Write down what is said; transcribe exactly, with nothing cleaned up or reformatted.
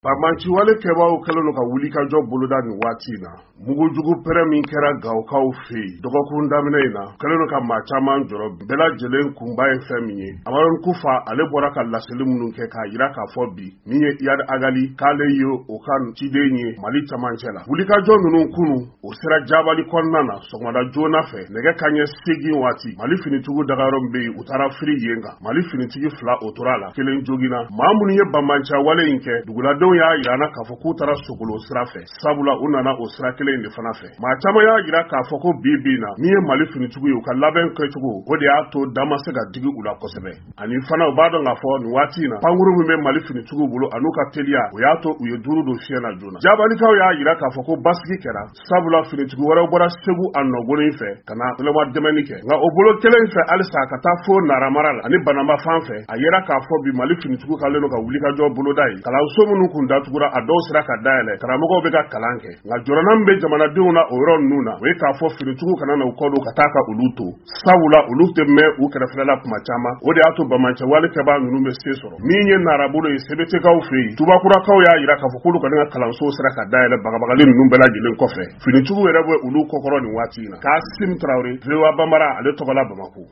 Banbaanciwale kɛbaaw kɛlen don ka wulikajɔ boloda nin waati in na. Mugujugu pɛrɛn min kɛra Gawokaw fɛ yen dɔgɔkun daminɛ in na, kɛlen don ka maa caman jɔrɔ. Bɛɛ lajɛlen kunba ye fɛn min ye, Amadu Kufa ale bɔra ka laseli minnu kɛ k'a jira k'a fɔ bi min ye Iyad Ag Ghali k'ale ye o ka ciden ye Mali camancɛ la. Wulikajɔ ninnu kunu o sera Jabali kɔnɔna na sɔgɔmada joona fɛ, nɛgɛ kanɲɛ seegin waati. Mali finitigiw dagayɔrɔ min bɛ yen, u taara firi yen kan. Mali finitigi fila o tora a la, kelen joginna. Maa minnu ye banbaanciya in kɛ, duguladenw y'a jira an na k'a fɔ k'u taara Sokolo sira fɛ, sabula u nana o sira kelen in de fana fɛ. Maa caman y'a jira k'a fɔ ko bi bi in na, min ye Mali finitigiw ye, u ka labɛn kɛcogo o de y'a to da ma se ka digi u la kosɛbɛ. Ani fana u b'a dɔn k'a fɔ nin waati in na, pankuru min bɛ Mali finitigiw bolo an'u ka teliya, o y'a to u ye duuru don fiɲɛ na joona. Jabalikaw y'a jira k'a fɔ ko basigi kɛra, sabula finitigi wɛrɛw bɔra Segu a nɔgɔnin fɛ ka na ɲɛnama dɛmɛni kɛ. Nka o bolo kelen fɛ halisa ka taa fo Naramara la ani Banamba fan fɛ, a yera k'a fɔ bi Mali finitigiw kɛlen don ka wulikajɔ boloda ye. Kalanso minnu kun datugura, a dɔw sera ka dayɛlɛ, karamɔgɔw bɛ ka kalan kɛ. Nka jɔrɔna min bɛ jamanadenw na o yɔrɔ ninnu na, o ye k'a fɔ finitigiw kana na u kɔ don ka taa ka olu to, sabula olu tɛ mɛn u kɛrɛfɛla la kuma caman. O de y'a to bamancɛwale kɛbaa ninnu bɛ se sɔrɔ. Min ye Narabolo ye Sebetekaaw fɛ yen, Tubakurakaw y'a jira k'a fɔ k'olu kɔni ka kalanso sera ka dayɛlɛ bagabagali ninnu bɛɛ lajɛlen kɔfɛ. Finitigiw yɛrɛ bɛ olu kɔkɔrɔ nin waati in na. Kasim Tarawele, V O A Bambara, ale tɔgɔ la Bamakɔ.